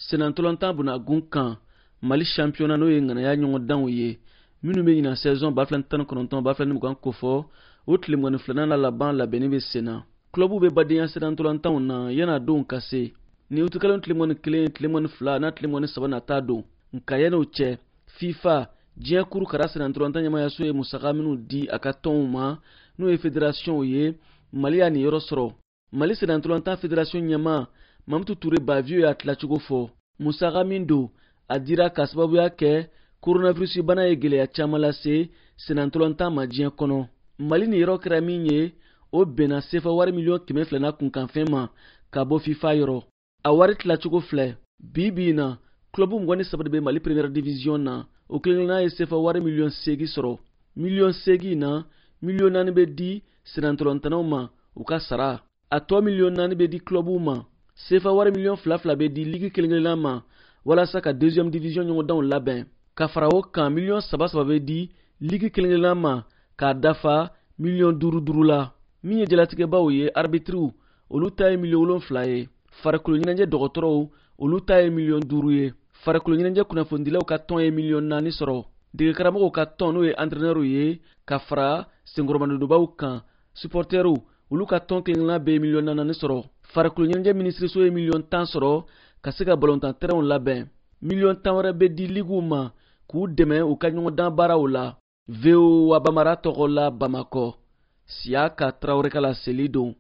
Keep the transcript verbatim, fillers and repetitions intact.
Senantolantan bunagun kan, Mali championnat, n'o ye ŋanaya ɲɔgɔndanw ye minnu bɛ ɲinan saison ba fila ni tan ni kɔnɔntɔn ba fila ni mugan kofɔ, o tile mugan ni filanan la laban labɛnni bɛ sen na. Clubw bɛ badenya senantolantanw na yan'a donw ka se. Ni utikalo tile mugan ni kelen, tile mugan ni fila n'a tile mugan ni saba nata don. Nka yan'o cɛ, FIFA, diɲɛ kuru kara senantolantan ɲɛmayaso ye musaka minnu di a ka tɔnw ma, n'o ye fédérationw ye, Mali y'a niyɔrɔ sɔrɔ. Mali senantolantan fédération ɲɛma Mamutu Ture Bavieux y'a tilacogo fɔ. Musaka min don, a dira ka sababuya kɛ coronavirus bana ye gwɛlɛya caaman lase senantolantan ma diɲɛ kɔnɔ. Mali niyɔrɔ kɛra min ye, o bɛnna sefa wari miliyɔn kɛmɛ fila n'a kunkanfɛn ma ka bɔ FIFA yɔrɔ. A wari tilacogo filɛ: bi bi in na, club mugan ni saba de bɛ Mali première division na. O kelenkelenna ye sefa wari miliyɔn seegin sɔrɔ. Miliyɔn seegin na, miliyɔn naani bɛ di senantolantannaw ma u ka sara, a tɔ miliyɔn naani bɛ di clubw ma. Sefa wari miliyɔn fila fila bɛ di ligue kelen kelenna ma walasa ka deuxième division ɲɔgɔndanw labɛn. Ka fara o kan, miliyɔn saba saba bɛ di ligue kelen kelenna ma k'a dafa miliyɔn duuru duuru la. Min ye jalatigɛbaw ye, arbitriw, olu ta ye miliyɔn wolonfila ye. Farikolo ɲɛnajɛ dɔgɔtɔrɔw, olu ta ye miliyɔn duuru ye. Farikolo ɲɛnajɛ kunnafonidilaw ka tɔn ye miliyɔn naani sɔrɔ. Degekaramɔgɔw ka tɔn, n'o ye entraîneurw ye, ka fara senkɔrɔmadonbaw kan, supporterw, olu ka tɔn kelenkelenna bɛ miliyɔn naani sɔrɔ. Farikolo ɲɛnajɛ minisiriso ye miliyɔn tan sɔrɔ ka se ka balontan terrainw labɛn. Miliyɔn tan wɛrɛ bɛ di liguw ma k'u dɛmɛ u ka ɲɔgɔndan baaraw la. V O A Bambara tɔgɔ la, Bamakɔ, Siyaka Tarawele ka laseli don.